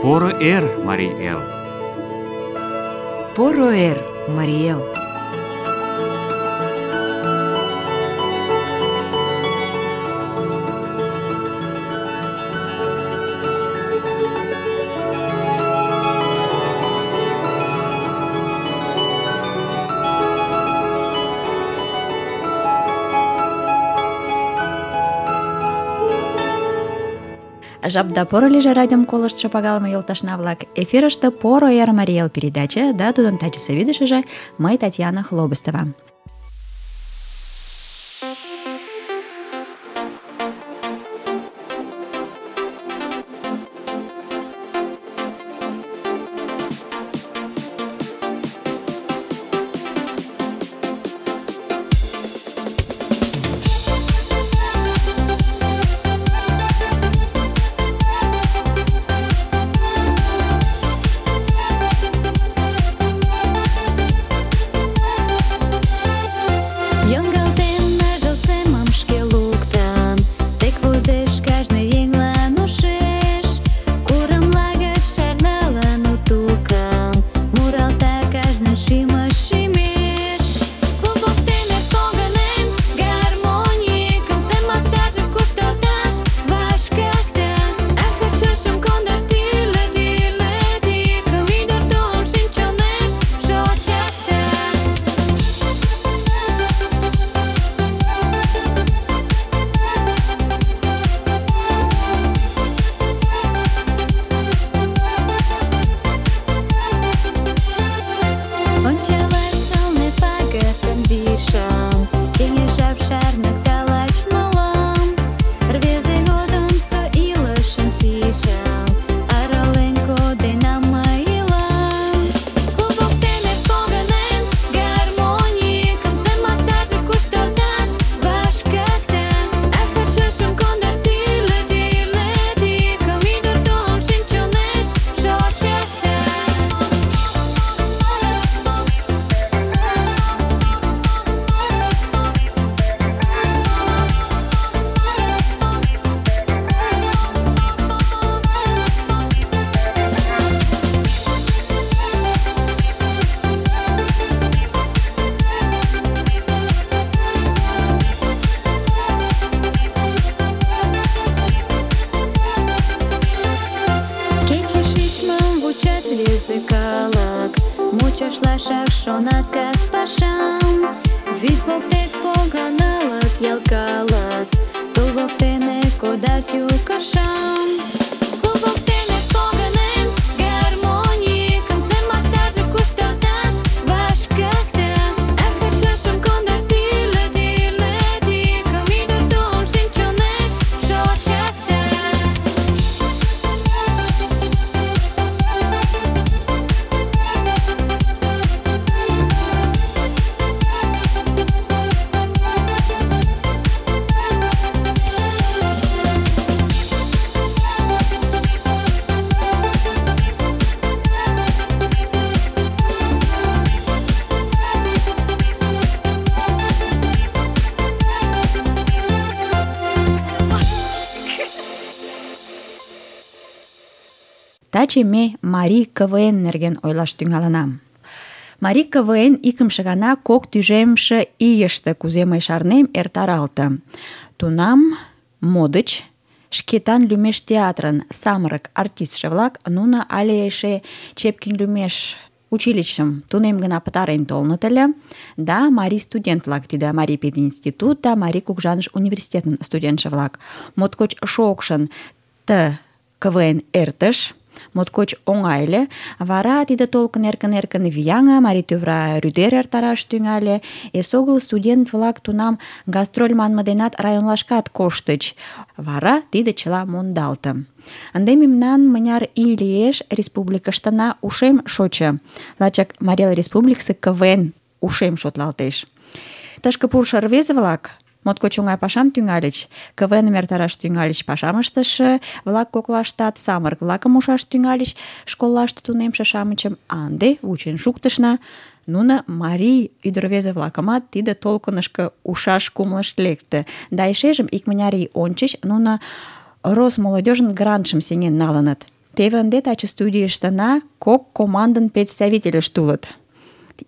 Поро эр, Марий Эл! Поро эр, Марий Эл! Жапда поро лийже радиом колыштшо пагалыме йолташна-влак. Эфирыште «Поро эр, Марий Эл» передача да тудын тачысе вӱдышыжӧ мый, Татьяна Хлобыстова. Мучашлашак шонат кас пашам, вӱд воктек поганалыт ял калык, тул воктене кодат ю кышам. Клуб воктене погынен, гармонийкым семалтаже кушталташ вашкыкта. Эх, шошым кондо тӱрлӧ тикым, ӱдыр тулым шинчонеш шочыкта. Таче ме марий КВН нерген ойлаш тӱҥалына. Марий КВН икымше гана кок тӱжемше ийыште, кузе мый шарнем, эртаралте. Тунам модыч, Шкетан лӱмеш театрын самырык артистше-влак, нуно але эше Чепкин лӱмеш училищым тунем гына пытарен толыныт ыле, да марий студент-влак, тиде Марий пединститут да Марий кугыжаныш университетын студентше-влак, моткоч шокшын КВН эртыш, моткоч оҥай ыле. Вара тиде толкын эркын-эркын вияҥе, марий тӱвра рӱдер эртараш тӱҥале. Эсогыл студент-влак тунам гастроль манме денат районлашкат коштыч. Вара тиде чыла мондалте. Ынде мемнан мыняр ий лиеш республикыштына ушем шочо. Лачак Марий Эл Республикысе КВН ушем шотлалтеш. Тышке пурышо рвезе-влак моткоч оҥай пашам тӱҥальыч. КВН-ым эртараш тӱҥальыч, пашам ыштыше-влак коклаштат самырык-влакым ушаш тӱҥальыч, школлаште тунемше-шамычым, а ынде вучен шуктышна. Нуно марий ӱдыр-рвезе-влакымат тиде толкынышко ушаш кумылышт лекте. Да эшежым икмыняр ий ончыч нуно Росмолодежын грантшым сеҥен налыныт. Теве ынде таче студийыштына кок командын представительышт улыт.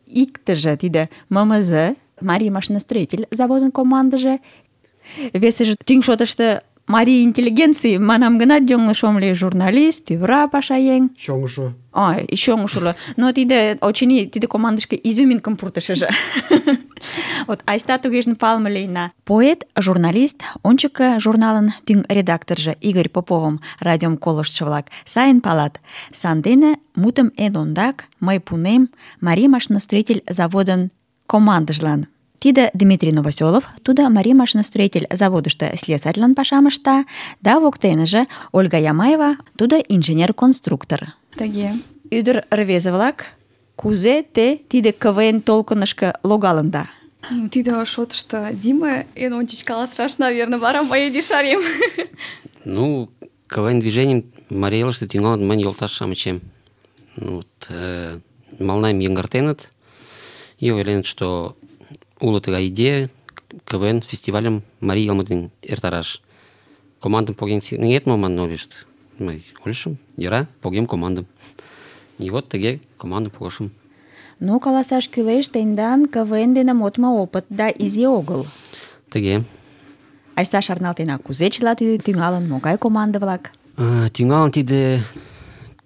Иктыже тиде ММЗ, Марий машиностроитель заводын командыже, весыже тӱҥ шотышто марий интеллигенций, манам гынат, йоҥылыш ом лий, журналист, тӱвра пашаеҥ. Чоҥышо. Чоҥышо. Но тиде, очыни, тиде командышке изюминкым пуртышыжо. Вот, айста тугежын палыме лийна. Поэт, журналист, ончыко журналын тӱҥ редакторжо Игорь Поповым радиом колыштшо-влак сайын палат. Сандене мутым эн ондак мый пунем Марий машиностроитель заводын командыжлан. Тиде Дмитрий Новоселов, тудо Марий машиностроитель заводышто слесарьлан пашам ышта, да воктеныже Ольга Ямаева, тудо инженер-конструктор. Тыге. Ӱдыр рвезе-влак, кузе те тиде КВН толкынышко логалында? Тиде шотышто Дима эн ончыч каласышаш, наверное, вара мый ешарем. КВН движением Марий Элыште тӱҥалын мыйын йолташ-шамычем. Мыланем йыҥгыртеныт и ойленыт, что уло тыгай идея КВН фестивалем Марий Йылме дене эртараш. Командым поген сеҥет мо манын ойлышт. Мый ойлышым, йӧра, погем командым. И вот тыге командым погышым. Каласаш кӱлеш, тендан КВН дене модмо опыт да изи огыл. Тыге. Айста шарналтена, кузе чыла тиде тӱҥалын, могай команда-влак? Тӱҥалын тиде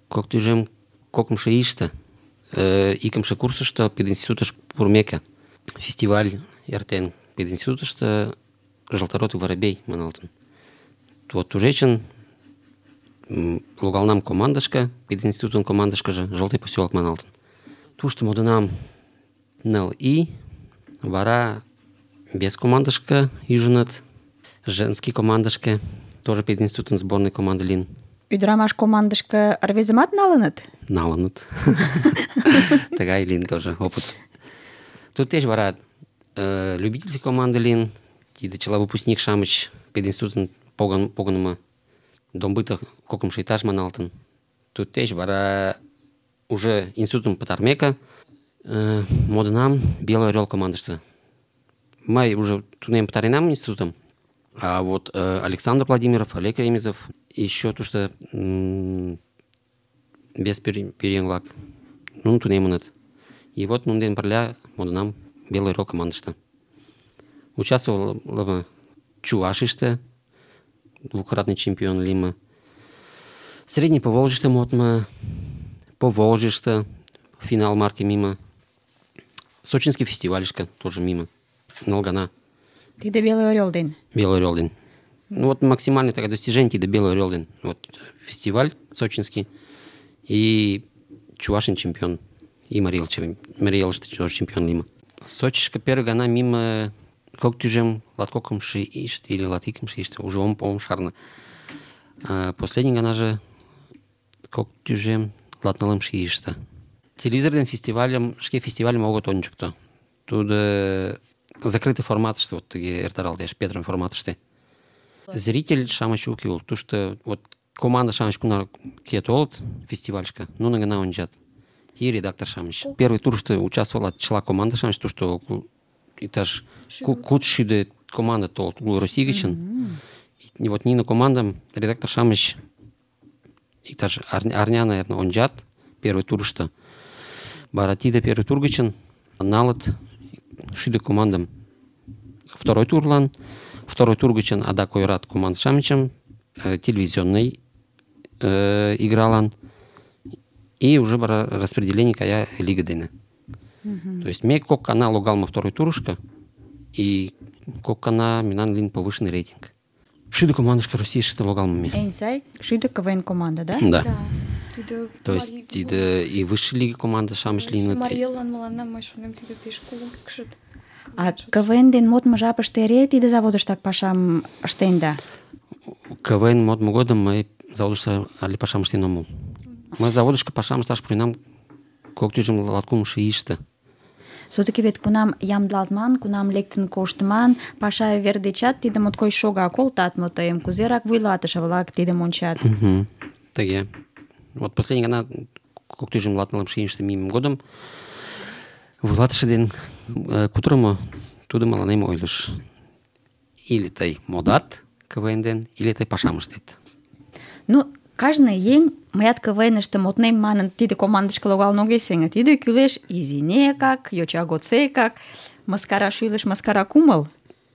кок тӱжем кокымшо ийыште, икымше курсышто пединститутыш пурымеке. Фестиваль эртен пединститутышто «Желторотый воробей» маналтын. Вот тушечын логалнам командышке, пединститутын командышкыже «Желтый поселок» маналтын. Тушто модынам ныл ий, вара без командышке ӱжыныт, женский командышке, тоже пединститутын сборный команда лийын. Ӱдырамаш командышке рвезымат налыныт? Налыныт. Тыгай лийын тоже опыт. Туддеч вара любительский команда лийын, тиде чыла выпускник-шамыч пединститутын погынымо Домбыто кокымшо этаж маналтын. Туддеч вара уже институтым пытармеке модынам Белый Орел командыште. Мый уже тунем пытаренам институтым, а вот Александр Владимиров, Олег Ремезов, еще тушто без пӧръеҥ-влак нуно тунемыныт. И вот нунын дене пырля модынам Белый Орел командыште. Участвовала Чувашийыште, двукратный чемпион лийме. Средний Поволжьыште модмо, Поволжьыште финал марки мимо. Сочинский фестивальышке тоже мимо. Нылгана. Тиде Белый Орел ден? Белый Орел ден. Вот максимальное такое достижение тиде Белый Орел ден. Вот фестиваль сочинский и Чувашин чемпион. И Марий Элыште тоже чемпион лийме. Сочишке первый гана мимо кок тӱжем латкокымшо ийыште или латикымшо ийыште, уже ом шарна. Последний ганаже кок тӱжем латнылымшо ийыште. Телевизор ден фестивальым, шке фестивальым огыт ончыкто. Тудо закрытый форматыште, вот тыге эртаралтеш, петырым форматыште. Зритель-шамыч уке улыт. Тушто вот команда-шамыч кунар ке толыт фестивальышке, нуно гына ончат. И редактор-шамыч. Первый турышто участвовала чыла команда-шамыч, тушто этаж куд-шӱдӧ команда толыт уло Россий гычын. И вот нине командам редактор-шамыч иктаж арня, наверное, ончат первый турышто. Вара тиде первый тур гычын налыт шӱдӧ командам второй турлан. Второй тур гычын адак ойырат команда-шамычым телевизионный игралан. И уже вара распределение кая лига дене. То есть ме кок кана логалма второй турышко, и кок кана минан лин повышенный рейтинг. Шӱдӧ командышке Российыште логалма ме. Эн сай шӱдӧ КВН команда, да? Да. То есть тиде и высшей лиги команда-шамыч лийыныт. Марий Эллан мыланна, мый шонем, тиде пеш кугу кӱкшыт. А КВН ден модмо жапыште эре тиде заводыштак пашам ыштенда? КВН модмо годым мый заводышто але пашам ыштен омыл. Мый заводышко пашам ышташ пуренам кок тӱжем латкумшо ийыште. Все-таки вет кунам ямдылалтман, кунам лектын коштман, паша вер дечат тиде моткоч шога, колтат мо тыйым, кузерак вуйлатыше-влак тидым ончат? Тыге. Вот последний гана кок тӱжем латнылымше ийыште мийыме годым вуйлатыше ден кутырымо тудо мыланем ойлыш: или тый модат КВН ден, или тый пашам ыштет. Кажне еҥ мыят КВН-ыште моднем манын тиде командышке логалын огеш сеҥе. Тиде кӱлеш изинекак, йоча годсекак, мыскара шӱлыш, мыскара кумыл.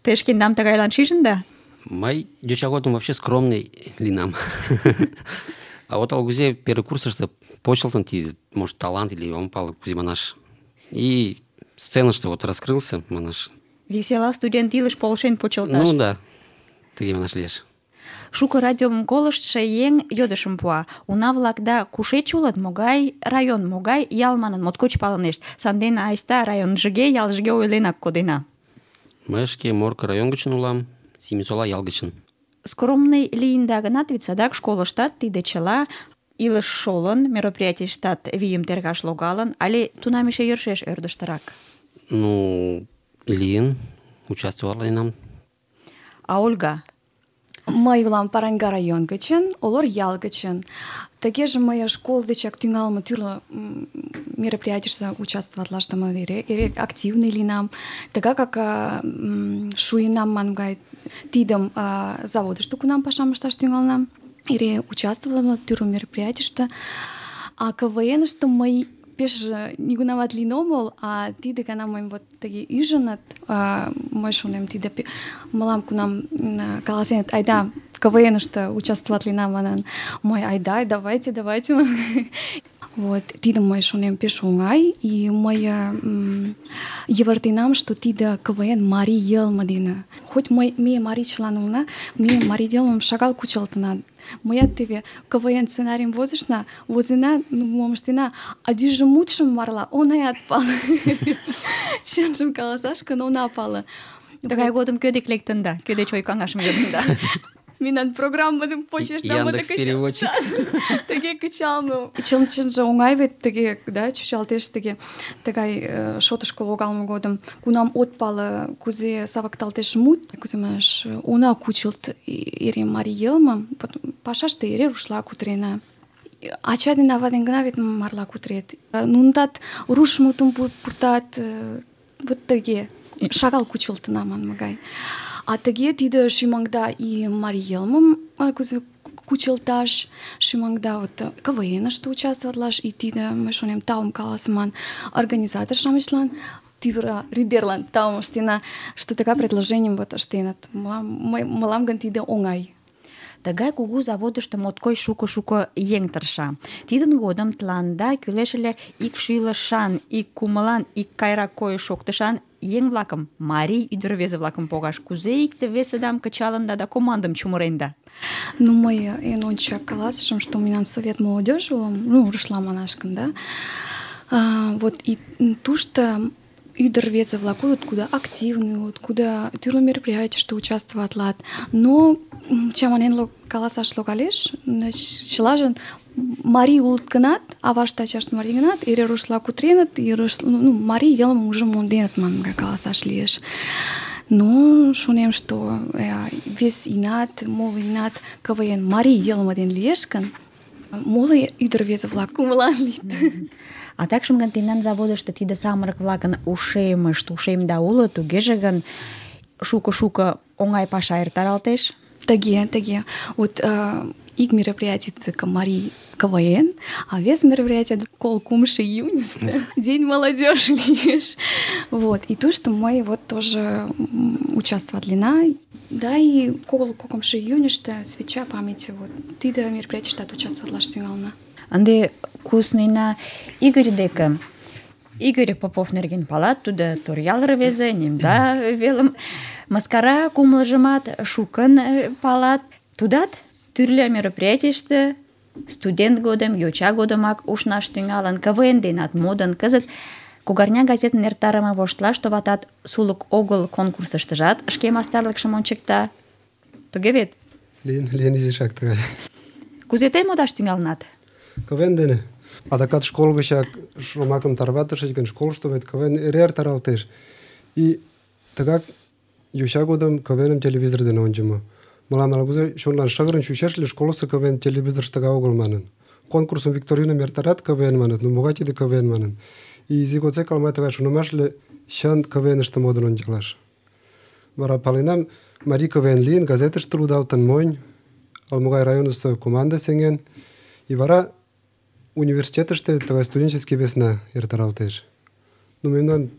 Те шкендам тыгайлан шижында? Мый йоча годым вообще скромный линам. А вот алгузе первый курсышто почылтын тиде, может, талант или ом пале, кузе манаш. И сценыште вот раскрылся, манаш. Весела студент илыш полшен почылташ. Ну да, тыге манаш лиеш. Шуко радиом колыштшо еҥ йодышым пуа. Уна-влакда кушеч улыт, могай район, могай ял манын моткоч палынешт. Сандене айста районжыге, ялжыге ойленак кодена. Мый шке Морко район гычын улам, Семисола ял гычын. Скромный лийында гынат, вет садак школыштат тиде чыла илыш шолын, мероприятийыштат вийым тергаш логалын, але тунам эше йӧршеш ӧрдыжтырак? Ну, лийын, участвоваленам. А Ольга? Мый улам Параньга район гычын, Олор ял гычын. Тыгеже мый школ дечак тӱҥалме тӱрлӧ мероприятийыште участвоватлаштым эре активный лийынам. Тыгакак шуйынам манмым гай тидым заводышто кунам пашам ышташ тӱҥалынам. Эре участвовала тӱрлӧ мероприятийыште. А КВН-ыште мый пеш нигунамат лийын омыл, а тиде гана мыйым вот тыге ӱжыныт. Мый шонем, тиде мылам кунам каласеныт, айда КВН-ыште участвоватлена манын, мый айда, давайте. Вот, тидым мый шонем пеш оҥай, и мый йывыртенам, что тиде КВН марий йылме дене. Хоть ме марийчылан улына, ме марий йылмым шагал кучылтына. Мыят теве КВН сценарийым возена, мом ыштена, а дӱжӧ мутшым марла онаят пале. Чынжым каласаш гын, она пале. Тыгай годым кӧ дек лектында? Кӧ деч ой-каҥашым йодында? Мемнан программым почешна Яндекс.Переводчик. Тыге кычалме. Чынже оҥай вет тыге, да, чучалтеш тыге. Тыгай шотышко логалме годым, кунам от пале, кузе савыкталтеш мут, кузе манаш, она кучылт эре марий йылмым, пашаште эре рушла кутырена. Ача ден ава ден гына вет марла кутырет. Нунытат руш мутым пуртат, вот тыге, шагал кучылтына манме гай. А тыге тиде шӱмаҥда и марий йылмым кузе кучылташ, шӱмаҥда вот КВН-ыште участвоватлаш, и тиде, мый шонем, таум каласыман организатор-шамычлан, тӱвыра рӱдерлан таум ыштена, что тыгай предложенийым вот ыштеныт. Мылам гын тиде оҥай. Тыгай кугу заводышто моткоч шуко еҥ тырша. Тидын годым тыланда кӱлеш ыле ик шӱлышан, ик кумылан, ик кайрак койыш-шоктышан еҥ-влакым, марий ӱдыр-рвезе-влакым погаш. Кузе икте-весыдам кычалында да командым чумыренда? Ну, мый эн ончык каласышым, что мемнан совет молодежи улам, ну, рушла манаш гын, да. Вот и тушто ӱдыр-рвезе-влак улыт, куда активный улыт, куда тӱрлӧ мероприятийыште участвоватлат. Но чаманен каласаш логалеш, чылажын марий улыт гынат, авашт ачашт марий гынат, эре рушла кутыреныт, и марий йылмым уже монденыт манмым гай каласаш лиеш. Но шонем, что вес инат, моло инат КВН марий йылме ден лиеш гын, моло ӱдыр-рвезе-влак кумылан лийыт. А такшым гын тендан заводышто тиде самырык-влакын ушемда уло, тугеже гын шуко оҥай паша эртаралтеш? Тыге. Вот ик мероприятие марий КВН, а вес мероприятие 3 июня, День молодежи лиеш. Вот, и то, что мы вот тоже участвоватлена. Да, и 3 июньыште свеча памяти, вот, тиде мероприятийыштат участвоватлаш тӱҥална. Ынде куснена Игорь деке. Игорь Попов нерген палат, тудо Торъял рвезе, Немда велым. Мыскара кумылжымат шукын палат. Тудат тӱрлӧ мероприятийыште студент годым, йоча годымак ушнаш тӱҥалын, КВН денат модын. Кызыт Кугарня газетын эртарыме воштылаш, товатат, сулык огыл конкурсыштыжат шке мастарлыкшым ончыкта. Туге вет? Лийын изишак тыгай. Кузе тый модаш тӱҥалынат? КВН дене. Адакат школ гычак шомакым тарватышыч гын, школышто вет КВН эре эртаралтеш. И тыгак йоча годым КВНым телевизор дене ончымо. Мылам ала-кузе чонлан шыгырын чучеш ыле, школысо КВН телевизорышто тыгай огыл манын. Конкурсым, викториным эртарат, КВН маныт, ну могай тиде КВН манын. И изи годсек мый тыгай шонымаш ыле, чын КВНыште модын ончалаш. Вара паленам, марий КВН лийын, газетыште лудалтын монь, ала-могай районысо команда сеҥен, и вара университетыште тыгай студенческий весна эртаралтеш. Ну, мемнан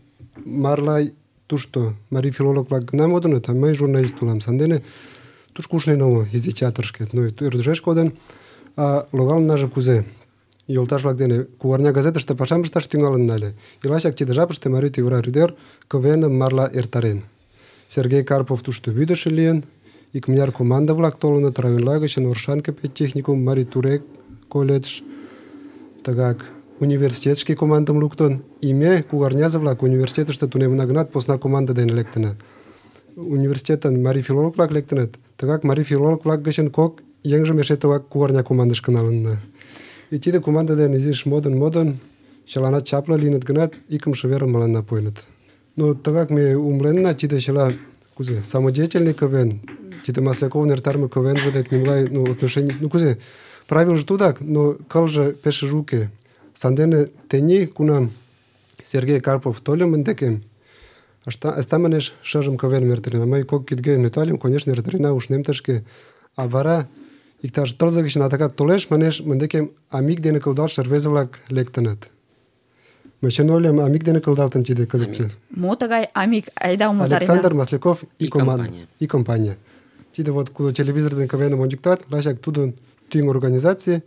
марла тушто марий филолог-влак гына модыныт, а мый журналист улам. Сандене тушко ушнен омыл изи театрышкет. Ну, ӧрдыжеш кодын, а логалыннаже кузе? Йолташ-влак дене кугарня газетыште пашам ышташ тӱҥалынна ыле. И лачак тиде жапыште Марий тӱвыра рӱдер КВН-ым марла эртарен. Сергей Карпов тушто вӱдышӧ лийын, икмыняр команда-влак толыныт районла гычын Оршанка педтехникум, Марий Турек колледж, тыгак университетский командым луктын. И ме, кугарнязе-влак, университетыште тунемына гынат, посна команда дене лектына. Университетын марий филолог-влак лектыныт, тыгак марий филолог-влак гычын кок еҥжым эше тыгак кугарня командышко налынна. И тиде команда дене изиш модын, чыланат чапле лийыныт гынат, икымше верым мыланна пуэныт. Но тыгак ме умыленна, тиде чыла кузе, самодеятельный КВН, тиде Масляковын эртарыме КВНже дек нимогай, отношений, кузе, правилже тудак, но кылже пешыже уке. Сандене тений, кунам Сергей Карпов тольо мын декем, айста манеш шыжым КВН эртарена. Мый кок кидге нӧлтальым, конечно, эртарена, ушнем тышке. А вара иктаж тылзе гычын адакат толеш, манеш, мын декем амик дене кылдалше рвезе-влак лектыныт. Мый чын ойлем, амик дене кылдалтын тиде кызытсе. Мо тыгай амик? Айда умылтарена. Александр Масляков и компания. И компания. Тиде вот кудо телевизор ден КВН-ым ончыктат, лачак тудын тӱҥ организаций,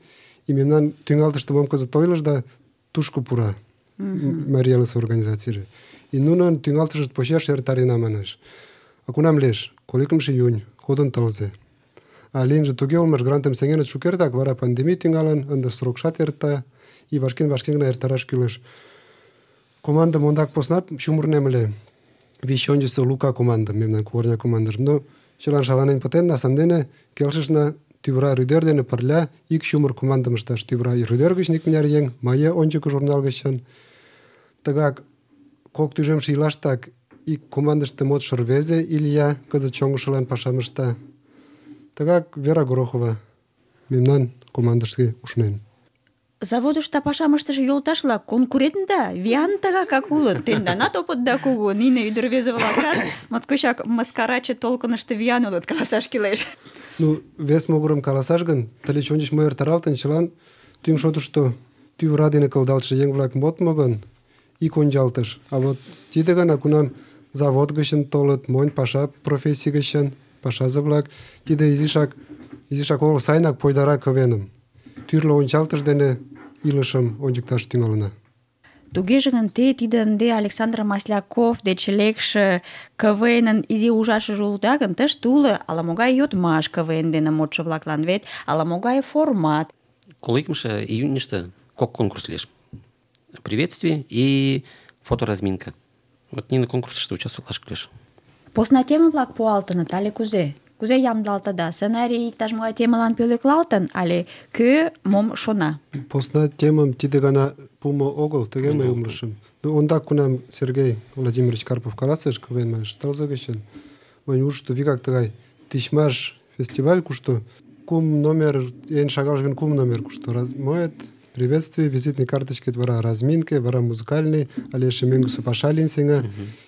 и мемнан тӱҥалтыште мом кызыт ойлыш да тушко пура. Марий Элысе организацийже. И нунын тӱҥалтышышт почеш эртарена манеш. А кунам лиеш? 2 июнь, кодын тылзе. А лийынже туге улмаш, грантым сеҥеныт шукертак, вара пандемий тӱҥалын, ынде срокшат эрта, и вашкен гына эртараш кӱлеш. Командым ондак посна чумырнем ыле. Вич ончысо Лука командым, мемнан кугарня командыжым. Но чылан шаланен пытенна, сандене келшышна тӱвыра рӱдер дене пырля ик чумыр командым ышташ. Тӱвыра рӱдер гыч икмыняр еҥ, мые ончыко журнал гычын. Тыгак кок тӱжемше ийлаштак ик командыште модшо рвезе Илья кызыт чоҥышылан пашам ышта. Тыгак Вера Горохова мемнан командышке ушнен. Заводышто пашам ыштыше йолташ-влак конкурентда виян тыгакак улыт. Тенданат опытда кугу, нине ӱдыр-рвезе-влакат моткочак мыскараче толкынышто виян улыт, каласаш кӱлеш. Ну, вес могырым каласаш гын, тылеч ончыч мо эртаралтын, чылан тӱҥ шотышто тӱвыра дене кылдалтше еҥ-влак модмо гын, ик ончалтыш. А вот тиде гана, кунам завод гычын толыт, монь паша профессий гычын пашазе-влак, тиде изишак огыл сайынак пойдара КВН-ым. Тӱрлӧ ончалтыш дене илышым ончыкташ тӱҥалына. Тугеже гын, те тиде ынде Александр Масляков деч лекше КВН-ын изи ужашыже улыда гын, тыште уло ала-могай йодмаш КВН дене модшо-влаклан вет, ала-могай формат. 2 июньыште кок конкурс лиеш. Приветствие и фоторазминка. Вот нине конкурсыште участвовалаш кӱлеш. Посна тема-влак пуалтыныт але кузе? Кузе ямдылалтыда? Сценарий иктаж-могай темылан пӧлеклалтын але кӧ мом шона? Посна темым тиде гана пумо огыл, тыге мый умылышым. Ну, ондак кунам Сергей Владимирович Карпов каласыш КВН манеш тылзе гычын, мынь ушышто вигак тыгай тичмаш фестиваль, кушто кум номер, эн шагалже гын кум номер, кушто моет, приветствие, визитный карточкет, вара разминке, вара музыкальный, але эше мӧҥгысӧ паша лийын сеҥа,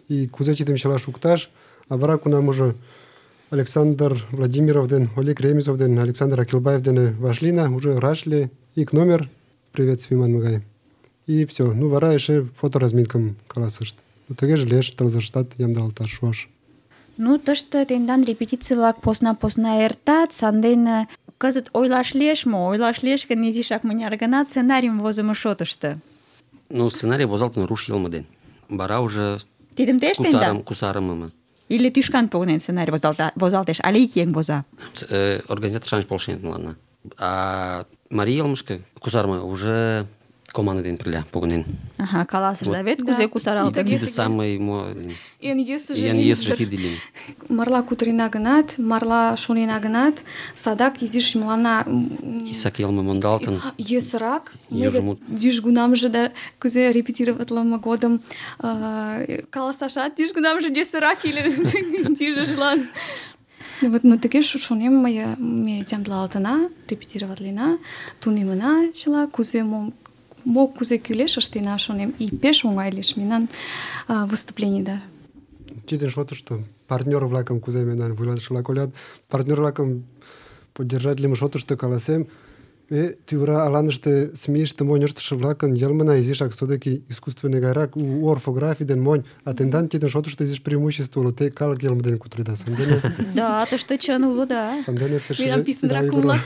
и кузе тидым чыла шукташ, а вара кунам уже Александр Владимиров ден Олег Ремезов ден Александр Акилбаев дене вашлийна, уже раш лие, ик номер приветствий манме гай. И все. Ну, вара эше фоторазминкым каласышт. Ну, тыгеже лиеш тылзыштат ямдылалташ шуаш. Ну, тыште тендан репетиций-влак посна-посна эртат, сандене кызыт ойлаш лиеш мо? Ойлаш лиеш гын, изишак мыняр гана сценарийым возымо шотышто. Ну, сценарий возалтын руш йылме ден. Вара уже Тидым те ыштенда? кусарымым. Или тӱшкан погынен сценарий возалтеш, але ик еҥ воза? Организатор-шамыч полшеныт мыланна. А Марий йылмышке кусарыме уже команда дене пырля погынен. Ага, каласышда вет, Да. кузе кусаралтын? Тиде самый Эн йӧсыжӧ йӧсыжӧ тиде лийын. марла кутырена гынат, марла шонена гынат, садак изиш мыланна Исак йылме мондалтын. йӧсырак. Южмут. Южгунамже да кузе репетироватлыме годым каласашат южгунамже йӧсырак иле тижыжлан. Вот, ну, тыге шонем, ме ямдылалтына, репетироватлена, тунемына чыла, кузе мо кузе кӱлеш ыштена, шонем, и пеш оҥай лиеш мемнан выступленийда. Тидын шотышто партнёр-влакым кузе мемнан вуйлатыше-влак ойлат, партнёр-влакым поддержатлыме шотышто каласем, тӱвыра аланыште СМИ-ште монь ыштыше-влакын йылмына изишак содыки искусственный гайрак, у орфографий ден монь, а тендан тидын шотышто изиш преимущество уло, те калык йылме дене кутыреда. Сандене... Да, тыште чын уло, да. Сандене Мемнан писынрак умылат.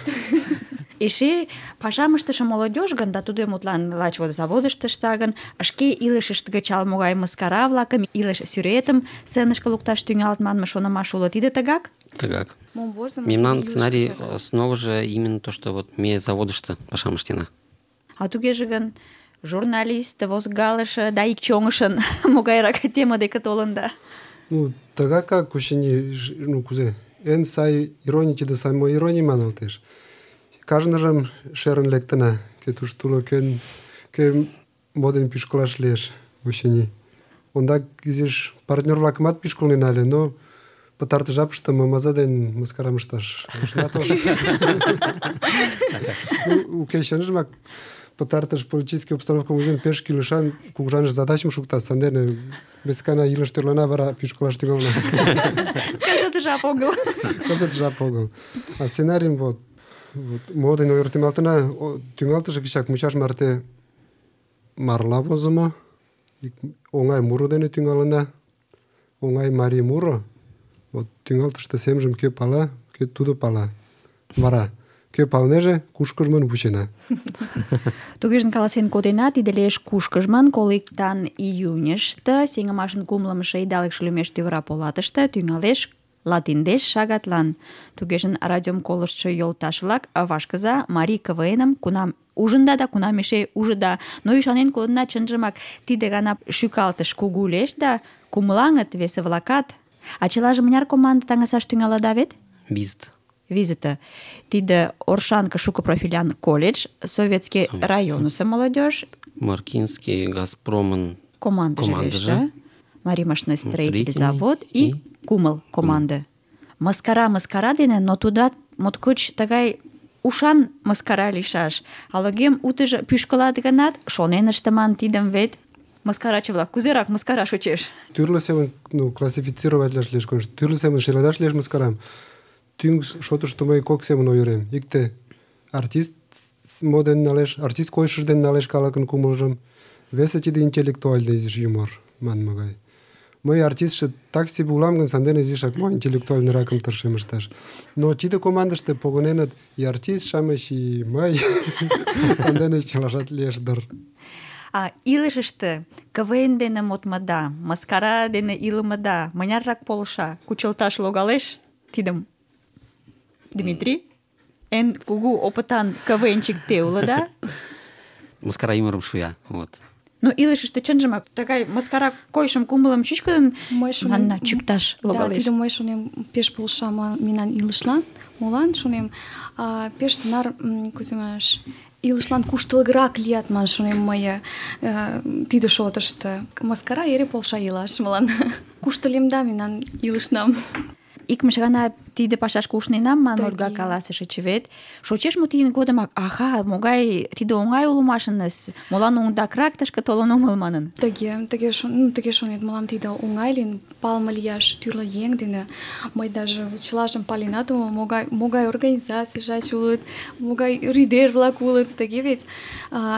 Эше пашам ыштыше молодёжь гын, да тудо мутлан лач вот заводышто ышта гын, шке илышышт гыч ала-могай мыскара-влакым, илыш сӱретым сценышке лукташ тӱҥалыт манме шонымаш уло. Тиде тыгак? Тыгак. Мом возымо, Мемнан тиде сценарий илышыже. основа же именно то, что вот ме заводышто пашам ыштена. А тугеже гын, журналист, возгалыше да ик чоҥышын могайрак тема деке толын да? Ну, тыгакак кучени, ну, кузе, эн сай ироний тиде самоироний маналтеш. Кажныжым шерын лектына, кӧ тушто уло, кӧ моден пӱшкылаш лиеш, очыни. Ондак изиш партнёр-влакымат пӱшкылнена ыле, но пытартыш жапыште мымыза ден мыскарам ышташ ышна тошт. Уке, чынжымак пытартыш политический обстановкым ужын пеш кӱлешан кугыжаныш задачым шуктат, сандене вескана илыш тӧрлана, вара пӱшкылаш тӱҥалына. Кызыт жап огыл. Кызыт жап огыл. А сценарийым вот мо дене ойыртемалтына, тӱҥалтыш гычак мучаш марте марла возымо, оҥай муро дене тӱҥалына, оҥай марий муро. Вот тӱҥалтыште семжым кӧ пала, кӧ тудо пала. Вара кӧ палнеже, кушкыжмын вучена. Тугежын каласен кодена, тиде лиеш кушкыжмын, коликтан июньышто, сеҥымашын кумлымшо идалыкше лӱмеш тӱвыра полатыште тӱҥалеш латиндеш шагатлан. Тугежын радиом колыштшо йолташ-влак, вашкыза марий КВН-ым кунам ужында да кунам эше ужыда. Но ӱшанен кодына, чынжымак тиде гана шӱкалтыш кугу лиеш да кумылаҥыт весе-влакат. А чылаже мыняр команда таҥасаш тӱҥалыда вет? Визыте. Тиде Оршанка шуко-профилян колледж, Советский районысо молодежь, Маркинский, Газпромын командыже, Марий машиностроитель завод и кумыл команды. Мыскара дене, но тудат моткоч тыгай ушан мыскара лийшаш. Алогем утыжо пӱшкылат гынат, шонен ыштыман тидым вет. Мыскараче-влак, кузерак мыскара шочеш? Тӱрлӧ семын, ну, классифицироватлаш лиеш, конечно. Тӱрлӧ семын шеледаш лиеш мыскарам. Тӱҥ шотышто мый кок семын ойырем. Икте артист моден налеш, артист койышыж дене налеш калыкын кумылжым. Весе тиде интеллектуальный изиш юмор, манме гай. Мый артистше так себе улам гын, сандене изишак мо интеллектуальныйракым тыршем ышташ. Но тиде командыште погыненыт и артист-шамыч, и мый. Сандене чылажат лиеш дыр. А илышыште КВН дене модмыда, мыскара дене илымыда мыняррак полша, кучылташ логалеш тидым? Дмитрий, эн кугу опытан КВНчик те улыда? Мыскара ӱмырым шуя, вот. Ну, илышыште чынжымак тыгай мыскара койышым кумылым чӱчкыдын манна чӱкташ Да, логалеш. тиде мый шонем пеш полша мемнан илышлан. Молан шонем, пеш тынар, кузе манаш, илышлан куштылгырак лият ман шонем мый тиде шотышто. Мыскара эре полша илаш мылан. Куштылемда мемнан илышнам. Икмыж гана тиде пашашке ушненам, ман Тыге. Ольга каласышыч вет. Шочеш мо тидын годымак, аха, могай тиде оҥай улмашыныс, молан оҥдакрак тышке толын омыл манын. Тыге шонет, мылам тиде оҥай лийын, палыме лияш тӱрлӧ еҥ дене. Мый даже чылажым паленат омыл, могай организацийжат улыт, могай рӱдер-влак улыт, тыге вет.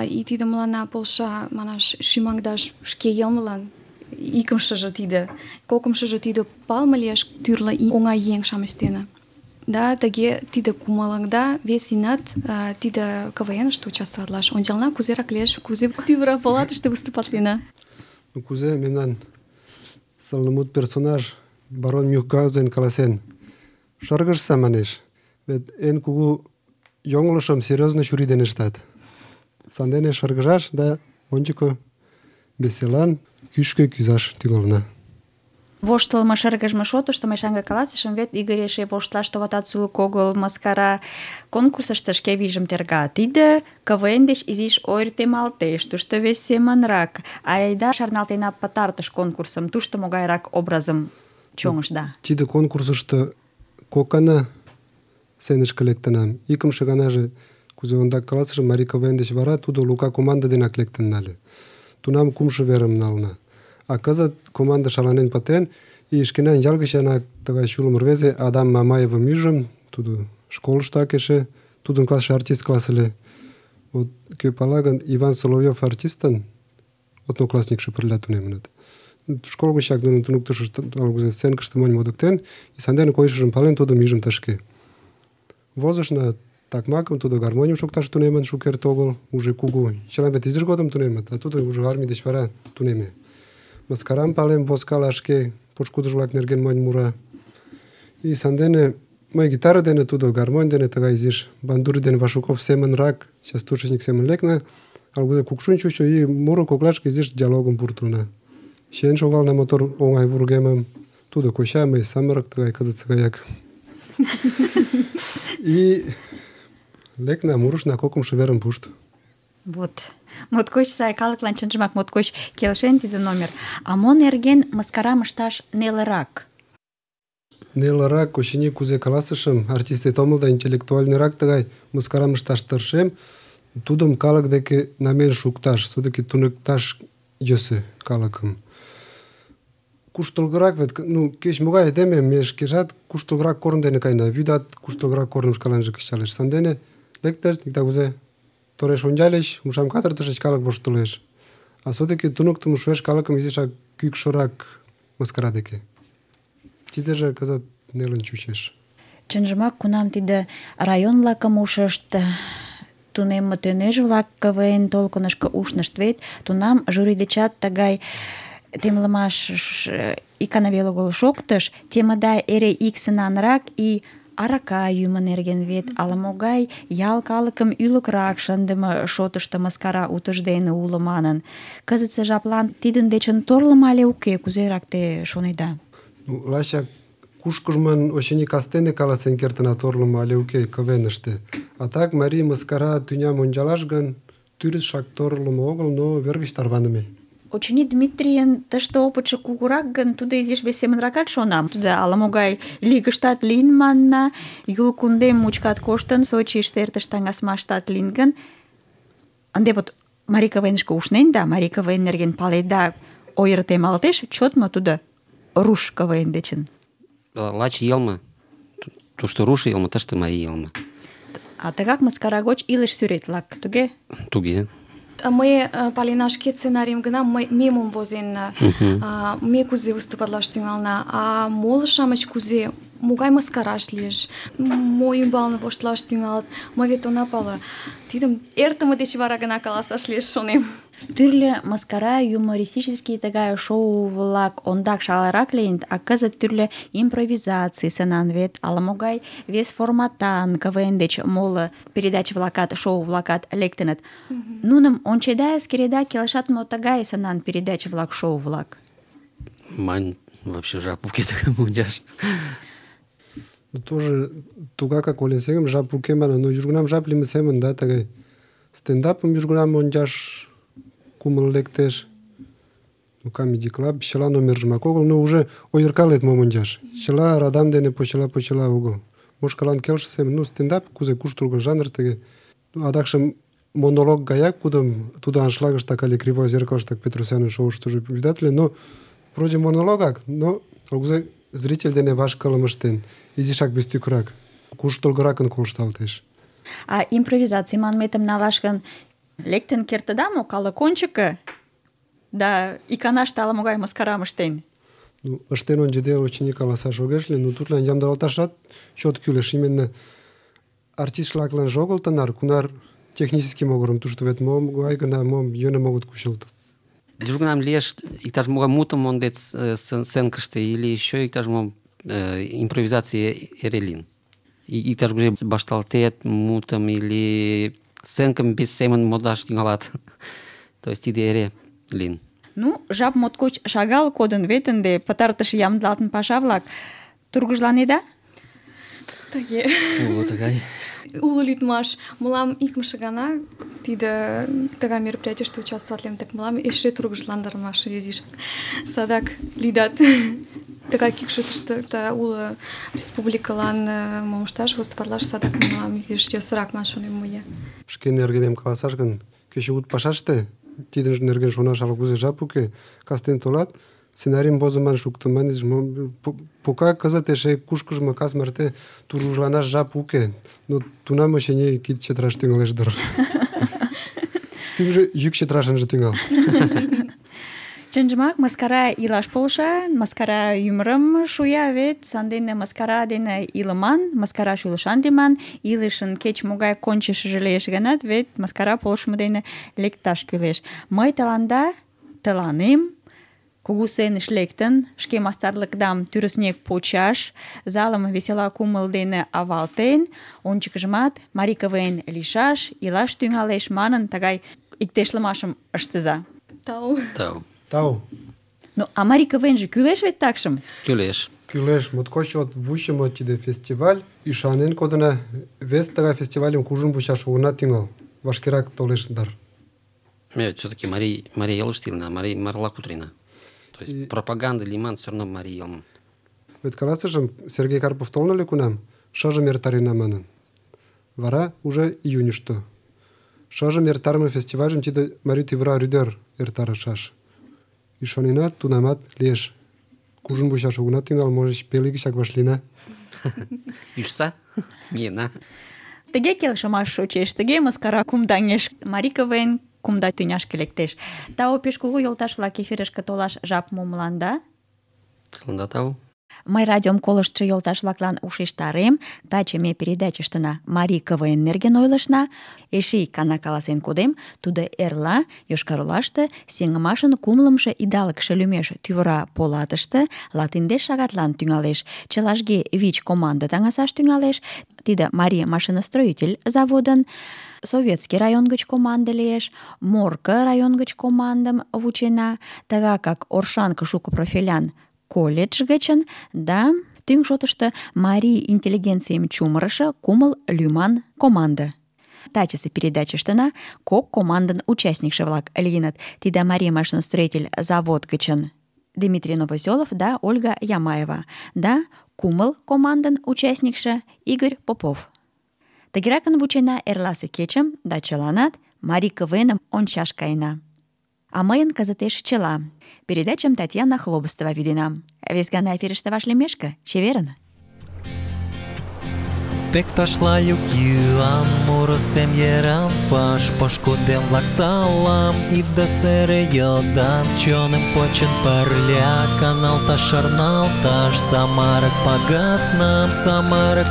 И тиде мыланна полша, манаш, шӱмаҥдаш шке йылмылан. Икымшыжо тиде, кокымшыжо тиде палыме лиеш тӱрлӧ оҥай еҥ-шамыч дене. Да, тыге тиде кумылыҥда вес инат тиде КВН-ыште участвоватлаш. Ончална, кузерак лиеш, кузе тӱвыра палатыште выступатлена. Ну, кузе мемнан сылнымут персонаж барон Мюнхгаузен каласен. Шыргыжса, манеш, вет эн кугу йоҥылышым серьезно чурий дене ыштат. Сандене шыргыжаш да ончыко веселан кӱшкӧ кӱзаш тӱҥалына. Воштылмо шыргыжме шотышто мый шаҥге каласышым, вет Игорь эше воштылаш товатат сулык огыл, мыскара конкурсышто шке вийжым терга. Тиде КВН деч изиш ойыртемалтеш, тушто вес семынрак. Айда шарналтена пытартыш конкурсым, тушто могайрак образым чоҥышда? Тиде конкурсышто кок гана сценышке лектынам. Икымше ганаже, кузе ондак каласышым, марий КВН деч вара тудо Лука команда денак лектын нале. Тунам кумшо верым нална. А кызыт команда шаланен пытен, и шкенан ял гыч янак тыгай чулым рвезе Адам Мамаевым ӱжым, тудо школыштак эше тудын классше артист класс ыле. Вот кӧ пала гын, Иван Соловьев артистын одноклассникше пырля тунемыныт. Школ гычак нунын туныктышышт ала-кузе сценкыште монь модыктен, и сандене койышыжым пален, тудым ӱжым тышке. Возышна такмакым, тудо гармоньым шокташ тунемын шукерте огыл, уже кугу. Чылан вет изиж годым тунемыт, а тудо уже армий деч вара тунеме. Мыскарам палем, возкала шке, пошкудыж-влак нерген монь мура. И сандене мый гитара дене, тудо гармонь дене, тыгай изиш Бандури ден Вашуков семынрак, частушечник семын лекна, ала-кузе кукшун чучо, и муро коклашке изиш диалогым пуртылна. Чиен шогална мотор оҥай вургемым, тудо коча, мый самырык, тыгай кызытсе гаяк. И лекна, мурышна кокымшо верым пушт. Вот. Моткоч сай, калыклан чынжымак моткоч келшен тиде номер. А мо нерген мыскарам ышташ нелырак? Нелырак, очыни, кузе каласышым, артистет омыл да интеллектуальныйрак тыгай мыскарам ышташ тыршем, тудым калык деке намиен шукташ, все-таки туныкташ йӧсӧ калыкым. Куштылгырак вет, кеч-могай айдеме, ме шкежат куштылгырак корно дене каена, вӱдат куштылгырак корным шкаланже кычалеш. Сандене лектыт, иктаж-кузе тореш ончальыч, умшам катыртышыч, калык воштылеш. А все-таки туныктымо шуэш калыкым изишак кӱкшырак мыскара деке. Тидыже кызыт нелын чучеш. Чынжымак, кунам тиде район-влакым ушышт, тунемме тӧнӧж-влак КВН толкынышко ушнышт вет, тунам жюри дечат тыгай темлымаш икана веле огыл шоктыш, темыда эре иксынанрак и арака йӱмӧ нерген вет, ала-могай ял калыкым ӱлыкрак шындыме шотышто мыскара утыждене уло манын. Кызытсе жаплан тидын дечын торлымо але уке, кузерак те шонеда? Лачак кушкыжмын, очыни, кастене каласен кертына торлымо але уке КВН-ыште. А так марий мыскара тӱням ончалаш гын, тӱрысшак торлымо огыл, но вер гыч тарваныме. Очыни, Дмитрийын тыште опытшо кугурак гын, тудо изиш вес семынракат шонам. Тудо ала-могай лигыштат лийын манна, Юл кундем мучкат коштын, Сочийыште эртыш таҥасмаштат лийын гын. Ынде вот марий КВН-шке ушнен да, марий КВН нерген паледа, ойыртемалтеш, чот мо тудо руш КВН дечын? Лач йылме. Тушто руш йылме, тыште марий йылме. А тыгак мыскара гоч илыш сӱрет-влак, туге? Туге. Мый палена шке сценарийым гына, ме мом возенна, ме кузе выступатлаш тӱҥална, а моло-шамыч кузе, могай мыскараш лиеш, мо ӱмбалне воштылаш тӱҥалыт, мый вет она пале. Тидым эртыме деч вара гына каласаш лиеш, шонем. Тӱрлӧ мыскара, юмористический тыгай шоу-влак ондак шагалрак лийыныт, а кызыт тӱрлӧ импровизаций сценан вет, ала-могай вес форматан КВН деч моло передаче-влакат, шоу-влакат лектыныт. Нуным ончеда, эскереда, келшат мо тыгай сценан передаче-влак, шоу-влак? Мань вообще жап уке тыгай мончаш. Тоже тугакак ойлен семын жап уке манын, но южгунам жап лийме семын, да, тыгай стендапым южгунам ончаш кумыл лектеш, Comedy Club, чыла номержымак огыл, но уже ойыркалет мом ончаш. Чыла радам дене почела огыл. Мошкалан келше семын, стендап, кузе куштылго жанр тыге. Адакшым монолог гаяк, кудым тудо аншлагыштак але Кривой зеркалыштак Петросянын шоуыштыжо вӱдат ыле, но вроде монологак, но кузе зритель дене ваш кылым ыштен, изишак вестӱкырак, куштылгыракын колышталтеш. А импровизаций манметым налаш гын, лектын кертыда мо калык ончыко? Да иканаште ала-могай мыскарам ыштен? Ыштен ончыде, очыни, каласаш огеш лий, но тудлан ямдылалташат чот кӱлеш. Именно артист-влакланже огыл тынар, кунар технический могырым, тушто вет могай гына мом йӧным огыт кучылт. Южгунам лиеш иктаж-могай мутым мондет сценкыште или еще иктаж-мом импровизация эре лийын. Иктаж-кузе башталтет мутым или сценкым без семын модаш тӱҥалат. То есть тиде эре лийын. Жап моткоч шагал кодын вет ынде пытартыш ямдылалтын паша-влак. Тургыжланеда? Тыге. Уло тыгай. Уло лӱдмаш. Мылам икымше гана тиде тыгай мероприятийыште участвоватлем, так мылам эше тургыжландырмаш изиш. Садак лӱдат. Тыгай кӱкшытыштӧ уло республикылан мом ышташ, выступатлаш садак мылам изиш йӧсырак ман шонем мые. Шке нергенем каласаш гын, кечыгут пашаште, тидын нерген шонаш ала-кузе жап уке, кастен толат, сценарийым возыман шуктыман, пока кызыт эше кушкыжмо кас марте тургыжланаш жап уке, но тунам очыни кид чытыраш тӱҥалеш дыр. Тӱҥжӧ йӱк чытыраш ынже тӱҥал. Чынжымак, мыскара илаш полша, мыскара ӱмырым шуя вет, сандене мыскара дене илыман, мыскара шӱлышан лийман, илышын кеч-могай кончышыжо лиеш гынат, вет мыскара полшымо дене лекташ кӱлеш. Мый тыланем, кугу сценыш лектын, шке мастарлыкдам тӱрыснек почаш, залым весела кумыл дене авалтен, ончыкыжымат марий КВН лийшаш, илаш тӱҥалеш манын, тыгай иктешлымашым ыштыза. Тау. Тау. Ну, а марий КВН-же кӱлеш вет такшым? Кӱлеш. Кӱлеш, моткоч чот вучымо тиде фестиваль. Ӱшанен кодына, вес тыгай фестивальым кужун вучаш огына тӱҥал. Вашкерак толеш дыр. Ме все-таки марий елыште илена, марла кутырена. То есть пропаганда лиман все равно марий елым. Вет каласышым, Сергей Карпов толын ыле кунам, шыжым эртарена манын. Вара уже июньышто. Шыжым эртарыме фестивальым тиде марий тӱвыра рӱдер эртарышаш. Ӱшанена, тунамат лиеш. Кужун вучаш огына тӱҥал, можыч, пел ий гычак вашлийына. Ӱжса, миена. Тыге келшымаш шочеш, тыге мыскара кумдаҥеш. Марий КВН кумда тӱняшке лектеш. Тау пеш кугу йолташ-влак, эфирышке толаш жап мо мыланда? Тыланда тау. Мый радиом колыштшо йолташ-влаклан ушештарем, таче ме передачыштына марий КВН нерген ойлышна. Эше ик гана каласен кодем, тудо эрла Йошкар-Олаште сеҥымашын кумлымшо идалыкше лӱмеш тӱвыра полатыште латиндеш шагатлан тӱҥалеш. Чылажге 5 команда таҥасаш тӱҥалеш. Тиде марий машиностроитель заводын, Советский район гыч команда лиеш, Морко район гыч командым вучена, тыгакак Оршанка шуко профилян колледж гычын да тӱҥ шотышто марий интеллигенцийым чумырышо кумыл лӱман команда. Тачысе передачыштына кок командын участникше-влак лийыныт. Тиде марий машиностроитель завод гычын Дмитрий Новоселов да Ольга Ямаева, да кумыл командын участникше Игорь Попов. Тыгеракын вучена эрласе кечым да чыланат марий КВН-ым ончаш каена. А мыйын кызытеш чыла. Передачам Татьяна Хлобыстова вӱдена. Вес гана эфирыште вашлиймешке, чеверын! Тек ташлаю йӱам, муро сем йырам ваш, пошкудем-влак салам, ида сере йодам, чоным почын пырля, каналташ шарналташ, самырык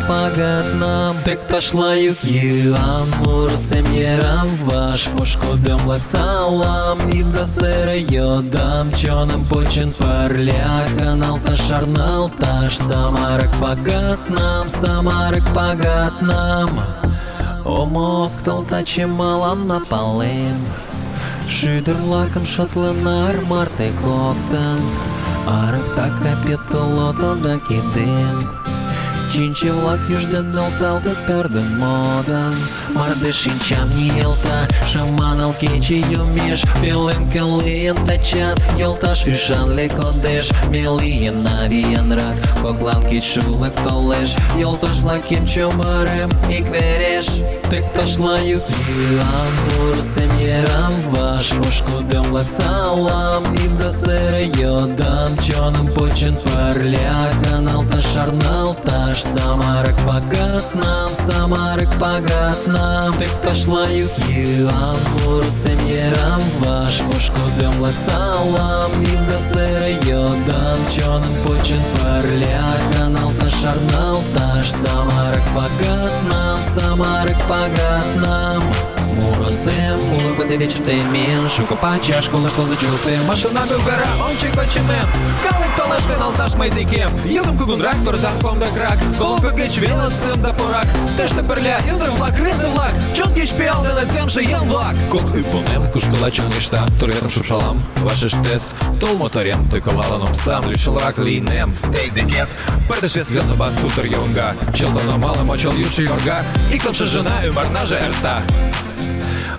пагытнам. Тек ташлаю йӱам, муро сем йырам ваш, пошкудем-влак салам, ида сере йодам, чоным почын пырля, каналташ шарналташ, самырык пагытнам. Омоктыл таче мылам напалем, шӱдыр-влакым шотлынар марте коктын, арыктак капитолото да кидем. Чинче-влак южден нӧлталтыт пӧрдын модын, мардеж шинчам ниялта, шаманал кече йомеш, пеленке лийын тачат, йолташ ӱшанле кодеш, ме лийына виянрак, коклан кечшулык толеш, йолташ-влакем чумырем ик вереш. Тек ташлаю йӱам, муро сем йырам ваш, пошкудем-влак салам, ида сере йодам, чоным почын пырля, каналташ шарналташ, самырык пагытнам. Тек ташлаю йӱам, муро сем йырам ваш, пошкудем-влак салам, ида сере йодам, чоным почын пырля, каналташ шарналташ, самырык пагытнам. Муро сем, улыбкой вечер темен, шуко пачаш, колышто зачултем, машинами вгара ончык-очымем, калык толеш каналташ мый декем, йодым кугунрак, торзан комдыкрак, колко гыч велосым да порак, тыште пырля ӱдыр-влак, рвезе-влак, чон кеч пиал дене темше еҥ-влак. Кок ӱпунем кушкыла чоҥешта, туретым шупшалам вашештет, тул моторем тӱкылалын омсам, лишылрак лийнем тый декет, пырдыж вес велне бас утыр йоҥга, чылтон омалым очол йӱдшӧ йорга, икымше жына ӱмырнаже эрта.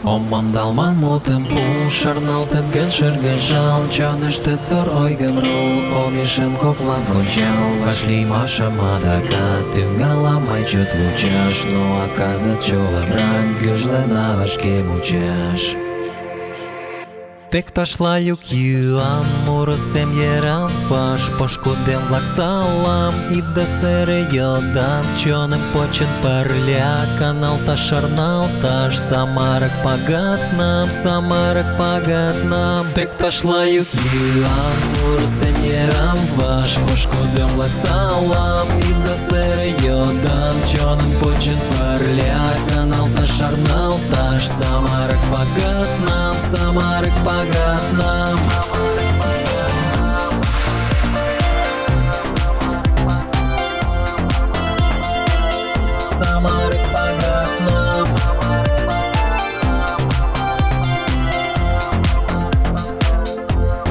Ом мондалман мутым пу, шарналтет гын шыргыжал, чоныштет сур ойгым ru, омешем коклан кончал, вашлиймашым адакат тӱҥалам мый чот вучаш, но а кызыт чулымрак гӱжлена вашке мучаш. Тек ташлаю кюан, мурысем ерам фаш, пошкудем-влак салам, ида сере йодам, чоным почын пырля, каналташ шарналташ, самырык пагатнам, самырык пагатнам. Тек ташлаю кюан, мурысем ерам фаш, пошкудем-влак салам, ида сере йодам, чоным почын пырля, каналташ шарналташ, самырык пагатнам, самырык пагатнам. Самырык пагатнам.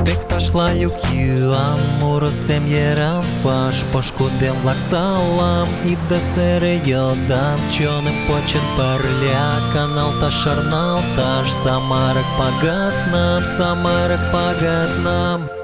Тек ташлаю кюан, мурысем ерам фаш, пошкудем-влак салам, ида сере йодам, чоным почын пырля, каналташ шарналташ, самырык пагатнам, самырык пагатнам.